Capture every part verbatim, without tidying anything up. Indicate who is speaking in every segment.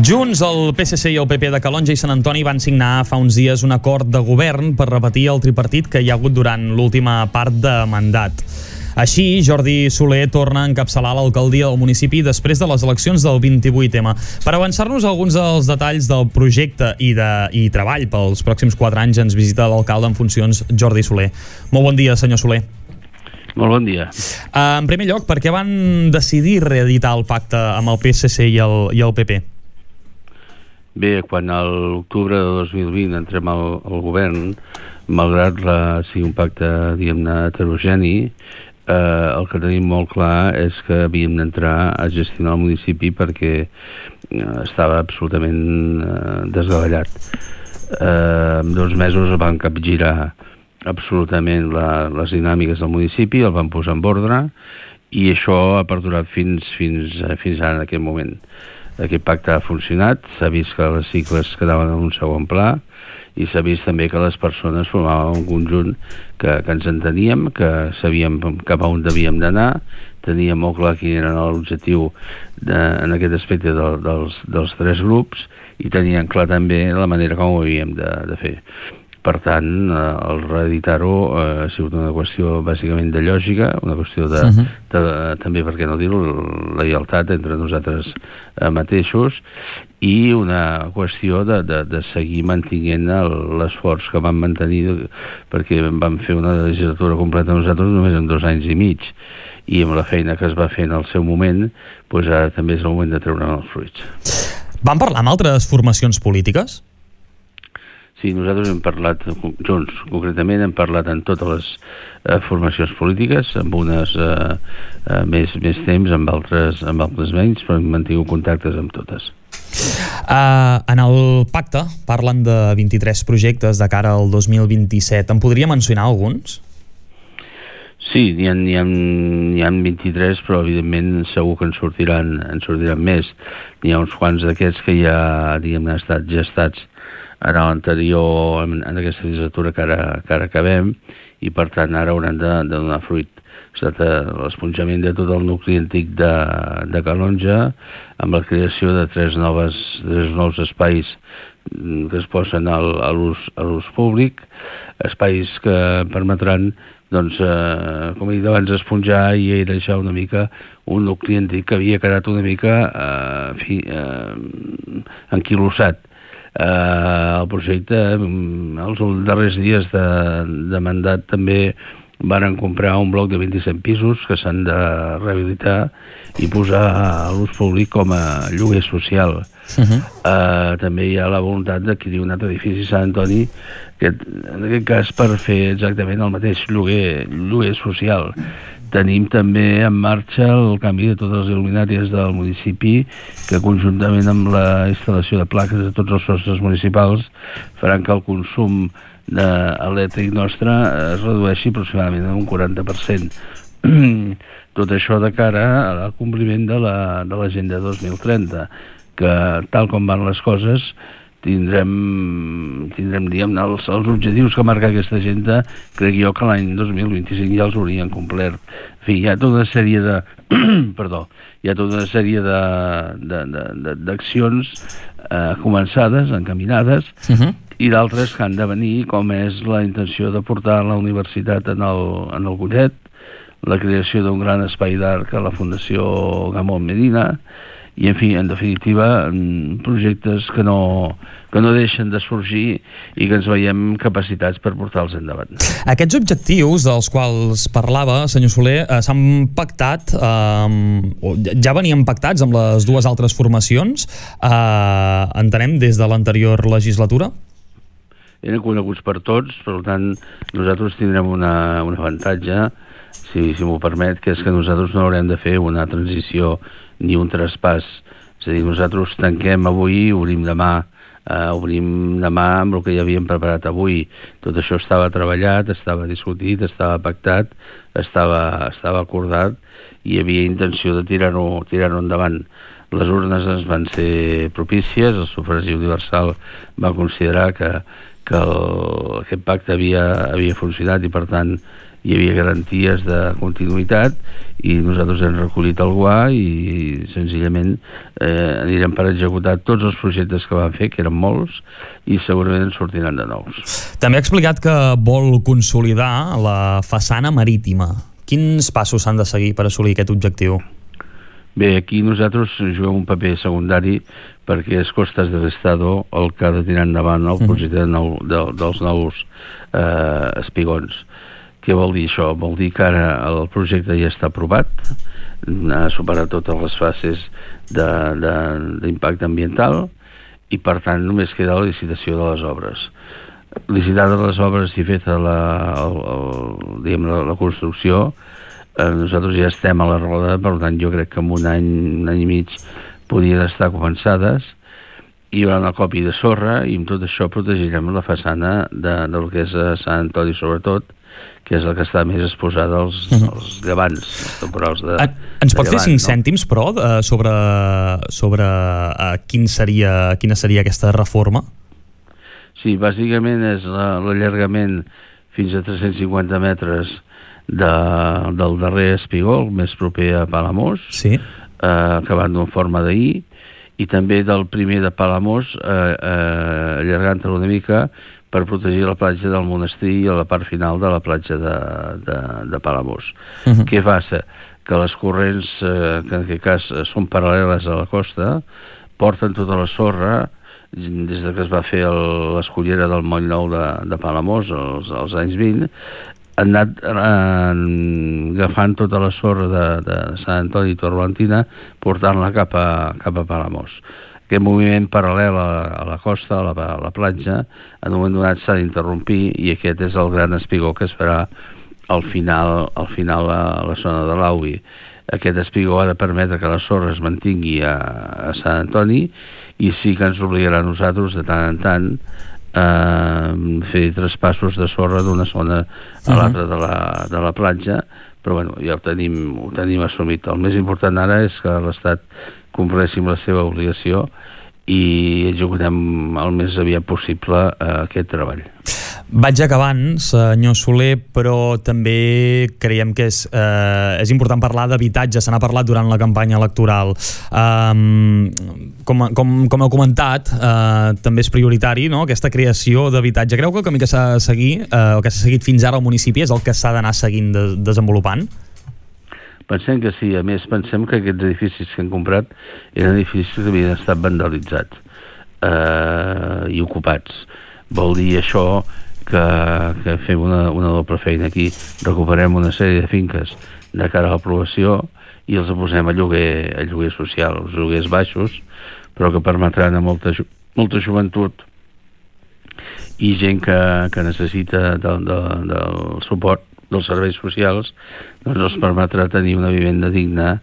Speaker 1: Junts, el P S C i el P P de Calonge i Sant Antoni van signar fa uns dies un acord de govern per repetir el tripartit que hi ha hagut durant l'última part de mandat. Així, Jordi Soler torna a encapçalar l'alcaldia del municipi després de les eleccions del vint-i-vuit ema. Per avançar-nos a alguns dels detalls del projecte i, de, i treball pels pròxims quatre anys ens visita l'alcalde en funcions, Jordi Soler. Molt bon dia, senyor Soler.
Speaker 2: Molt bon dia.
Speaker 1: Uh, en primer lloc, per què van decidir reeditar el pacte amb el P S C i el, i el P P?
Speaker 2: Bé, quan a l'octubre de dos mil vint entrem al, al govern, malgrat la, sigui un pacte, diguem-ne, heterogeni, eh, el que tenim molt clar és que havíem d'entrar a gestionar el municipi perquè eh, estava absolutament eh, desgavellat. Eh, en dos mesos van capgirar absolutament la, les dinàmiques del municipi, el van posar en ordre i això ha perdurat fins, fins, fins ara en aquest moment. Aquest pacte ha funcionat, s'ha vist que les cicles quedaven en un segon pla i s'ha vist també que les persones formaven un conjunt que, que ens enteníem, que sabíem cap a on devíem d'anar, teníem molt clar quin era l'objectiu en aquest aspecte de, dels, dels tres grups i tenien clar també la manera com ho havíem de, de fer. Per tant, el reeditar-ho ha sigut una qüestió bàsicament de lògica, una qüestió de, uh-huh. de, de també, per què no dir-ho, la lleialtat entre nosaltres mateixos i una qüestió de, de, de seguir mantenint l'esforç que vam mantenir perquè vam fer una legislatura completa nosaltres només en dos anys i mig i amb la feina que es va fer en el seu moment, doncs ara també és el moment de treure'n els fruits.
Speaker 1: Van parlar amb altres formacions polítiques?
Speaker 2: Sí, nosaltres hem parlat, junts concretament, hem parlat en totes les eh, formacions polítiques, amb unes eh, eh, més, més temps, amb altres, amb altres menys, però hem mantingut contactes amb totes.
Speaker 1: Uh, en el pacte parlen de vint-i-tres projectes de cara al dos mil vint-i-set. En podria mencionar alguns?
Speaker 2: Sí, n'hi ha, n'hi ha, n'hi ha vint-i-tres, però evidentment segur que en sortiran, en sortiran més. N'hi ha uns quants d'aquests que ja, diguem-ne, han estat gestats en l'anterior, en, en aquesta legislatura que ara, que ara acabem, i per tant ara hauran de, de donar fruit. Ha estat l'esponjament de tot el nucli antic de, de Calonge, amb la creació de tres, noves, tres nous espais que es posen al, a l'ús públic, espais que permetran, doncs, eh, com he dit abans, esponjar i airejar una mica un nucli antic que havia quedat una mica eh, fi, eh, enquilossat. Uh, el projecte, els darrers dies de, de mandat també varen comprar un bloc de vint-i-set pisos que s'han de rehabilitar i posar a l'ús públic com a lloguer social. Uh-huh. uh, també hi ha la voluntat d'adquirir un altre edifici a Sant Antoni, que, en aquest cas per fer exactament el mateix lloguer, lloguer social. Tenim també en marxa el canvi de totes les il·luminàries del municipi que conjuntament amb la instal·lació de plaques de tots els sostres municipals faran que el consum elèctric nostre es redueixi aproximadament en un quaranta per cent. Tot això de cara al compliment de la, de l'agenda dos mil trenta, que tal com van les coses tindrem, tindrem diguem, els, els objectius que marca aquesta agenda, crec jo que l'any dos mil vint-i-cinc ja els haurien complert. En fi, hi ha tota una sèrie de perdó, hi ha tota una sèrie de, de, de, de, d'accions eh, començades, encaminades, uh-huh. i d'altres que han de venir, com és la intenció de portar la universitat en el, en el Collet, la creació d'un gran espai d'art a la Fundació Gamón Medina, i, en fi, en definitiva, projectes que no, que no deixen de sorgir i que ens veiem capacitats per portar-los endavant.
Speaker 1: Aquests objectius dels quals parlava, senyor Soler, eh, s'han pactat, eh, ja venien pactats amb les dues altres formacions, eh, entenem, des de l'anterior legislatura?
Speaker 2: Eren coneguts per tots, per tant, nosaltres tindrem una, un avantatge, si, si m'ho permet, que és que nosaltres no haurem de fer una transició ni un traspàs. És a dir, nosaltres tanquem avui, obrim demà, eh, obrim demà amb el que ja havíem preparat avui. Tot això estava treballat, estava discutit, estava pactat, estava, estava acordat i hi havia intenció de tirar-ho tirar-ho endavant. Les urnes ens van ser propícies, el sufragi universal va considerar que, que el, aquest pacte havia, havia funcionat i, per tant, hi havia garanties de continuïtat, i nosaltres hem recollit el guà i senzillament eh, anirem per executar tots els projectes que van fer, que eren molts, i segurament en sortiran de nous.
Speaker 1: També ha explicat que vol consolidar la façana marítima. Quins passos s'han de seguir per assolir aquest objectiu?
Speaker 2: Bé, aquí nosaltres juguem un paper secundari perquè és Costas del Estado el que ha de tirar endavant el projecte de nou, de, dels nous eh, espigons. Què vol dir això? Vol dir que ara el projecte ja està aprovat, ha superat totes les fases d'impacte ambiental i per tant només queda la licitació de les obres. Licitada les obres i feta la, el, el, diguem, la, la construcció, eh, nosaltres ja estem a la roda, per tant jo crec que en un any, un any i mig podrien estar començades, hi haurà una còpia de sorra i amb tot això protegirem la façana de, del que és a Sant Antoni sobretot, que és el que està més exposat als, als llevants, als temporals de,
Speaker 1: en, Ens pot
Speaker 2: de
Speaker 1: fer
Speaker 2: llevant,
Speaker 1: cinc
Speaker 2: no?
Speaker 1: cèntims, però, uh, sobre, sobre uh, quin seria, quina seria aquesta reforma?
Speaker 2: Sí, bàsicament és l'allargament fins a tres-cents cinquanta metres de, del darrer espigó, el més proper a Palamós,
Speaker 1: sí.
Speaker 2: eh, acabant en forma de I, i també del primer de Palamós, eh, eh, allargant-lo una mica per protegir la platja del monestir i a la part final de la platja de, de, de Palamós. Uh -huh. Què passa? Que les corrents, eh, que en aquest cas són paral·leles a la costa, porten tota la sorra des de que es va fer l'escollera del Moll Nou de, de Palamós als, als anys vint, han anat eh, agafant tota la sorra de, de Sant Antoni i Torrentina, portant-la cap a, cap a Palamós. Aquest moviment paral·lel a, a la costa, a la, a la platja, en un moment donat s'ha d'interrompir i aquest és el gran espigó que es farà al final, al final a la zona de l'Auvi. Aquest espigó ha de permetre que la sorra es mantingui a, a Sant Antoni i sí que ens obligarà a nosaltres de tant en tant eh, fer traspassos de sorra d'una zona a l'altra de, la, de la platja, però bueno, ja ho tenim, ho tenim assumit. El més important ara és que l'Estat compleixi amb la seva obligació i executem el més aviat possible eh, aquest treball.
Speaker 1: Vaig acabant, senyor Soler, però també creiem que és, eh, és important parlar d'habitatge. Se n'ha parlat durant la campanya electoral. Um, com, com, com heu comentat, eh, també és prioritari, no?, aquesta creació d'habitatge. Creu que el camí que s'ha de seguir, eh, o que s'ha seguit fins ara al municipi, és el que s'ha d'anar seguint de, desenvolupant?
Speaker 2: Pensem que sí. A més, pensem que aquests edificis que hem comprat eren edificis que havien estat vandalitzats eh, i ocupats. Vol dir això que, que fem una, una doble feina aquí. Recuperem una sèrie de finques de cara a l'aprovació i els posem a lloguer, a lloguer social, els lloguers baixos, però que permetran a molta, molta joventut i gent que, que necessita del, del, del suport dels serveis socials, doncs els permetrà tenir una vivenda digna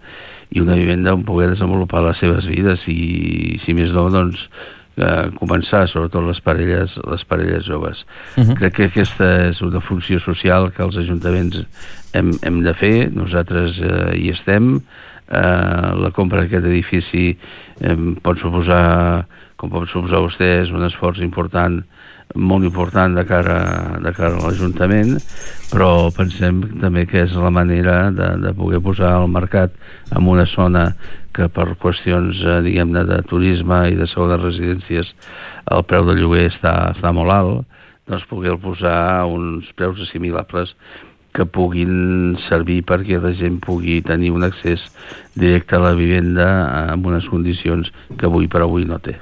Speaker 2: i una vivenda on poder desenvolupar les seves vides i, si més no, doncs eh, començar, sobretot les parelles, les parelles joves. Uh-huh. Crec que aquesta és una funció social que els ajuntaments hem, hem de fer, nosaltres eh, hi estem. Eh, la compra d'aquest edifici eh, pot suposar, com pot suposar vostès, un esforç important, molt important de cara, de cara a l'Ajuntament, però pensem també que és la manera de, de poder posar al mercat en una zona que per qüestions, eh, diguem-ne, de turisme i de segones residències el preu del lloguer està, està molt alt, doncs poder posar a uns preus assimilables que puguin servir perquè la gent pugui tenir un accés directe a la vivenda en unes condicions que avui per avui no té.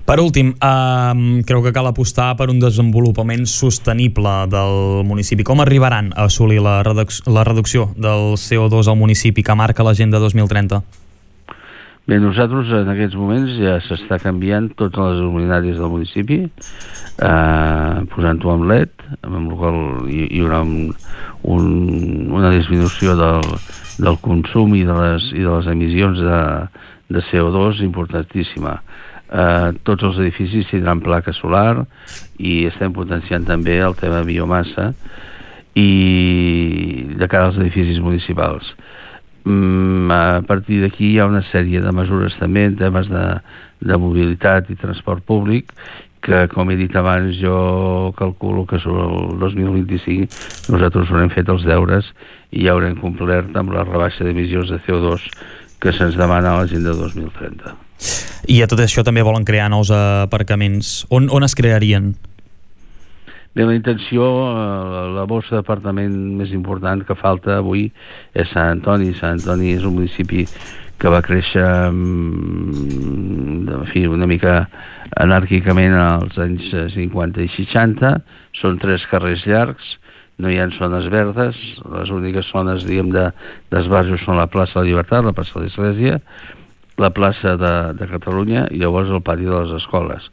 Speaker 1: Per últim, eh, creu que cal apostar per un desenvolupament sostenible del municipi. Com arribaran a assolir la, reduc la reducció del C O dos al municipi que marca l'Agenda dos mil trenta?
Speaker 2: Bé, nosaltres en aquests moments ja s'està canviant totes les luminàries del municipi, eh, posant-ho amb L E D, amb el qual hi, hi haurà un, un, una disminució del, del consum i de les, i de les emissions de, de C O dos importantíssima. Uh, tots els edificis tindran placa solar i estem potenciant també el tema biomassa i de cara als edificis municipals. Mm, a partir d'aquí hi ha una sèrie de mesures també en temes de, de mobilitat i transport públic que, com he dit abans, jo calculo que sobre el dos mil vint-i-cinc nosaltres haurem fet els deures i ja haurem complert amb la rebaixa d'emissions de C O dos que se'ns demana a l'agenda dos mil trenta.
Speaker 1: I a tot això també volen crear nous aparcaments. On, on es crearien?
Speaker 2: Bé, la intenció, la bossa d'apartament més important que falta avui és Sant Antoni. Sant Antoni és un municipi que va créixer en fi, una mica anàrquicament als anys cinquanta i seixanta. Són tres carrers llargs, no hi ha zones verdes, les úniques zones, diguem, de, d'esbarjo són la plaça de la Llibertat, la plaça de l'Església, la plaça de, de Catalunya i llavors el pati de les escoles.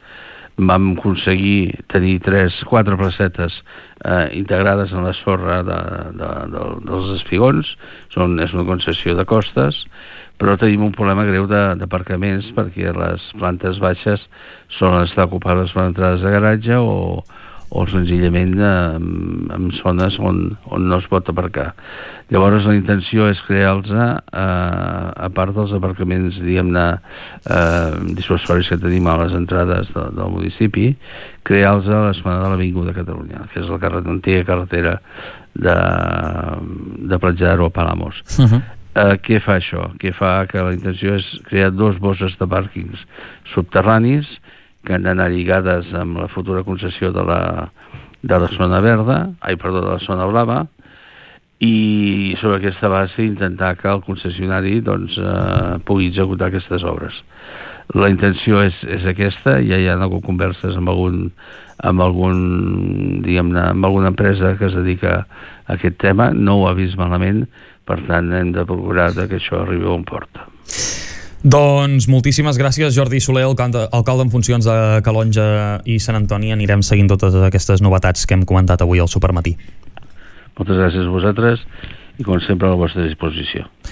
Speaker 2: Vam aconseguir tenir tres, quatre placetes eh, integrades en la sorra de, de, de, dels espigons. Són, és una concessió de costes, però tenim un problema greu d'aparcaments perquè les plantes baixes solen estar ocupades per entrades de garatge o, o senzillament eh, en zones on, on no es pot aparcar. Llavors la intenció és crear-los eh, a part dels aparcaments, diguem-ne, eh, dissuasoris que tenim a les entrades de, del municipi, crear-los a l'Esplanada de l'Avinguda de Catalunya, que és la carret, antiga carretera de, de Platja d'Aro a Palamós. Uh -huh. eh, què fa això? Què fa que la intenció és crear dos bosses de pàrquings subterranis que han d'anar lligades amb la futura concessió de la, de la zona verda, ai, perdó, de la zona blava, i sobre aquesta base intentar que el concessionari doncs, eh, pugui executar aquestes obres. La intenció és, és aquesta, ja hi ha hagut converses amb algun, amb algun diguem-ne, amb alguna empresa que es dedica a aquest tema, no ho ha vist malament, per tant hem de procurar que això arribi a bon port.
Speaker 1: Doncs moltíssimes gràcies, Jordi Soler, alcalde, alcalde en funcions de Calonge i Sant Antoni. Anirem seguint totes aquestes novetats que hem comentat avui al Supermatí.
Speaker 2: Moltes gràcies a vosaltres i, com sempre, a la vostra disposició.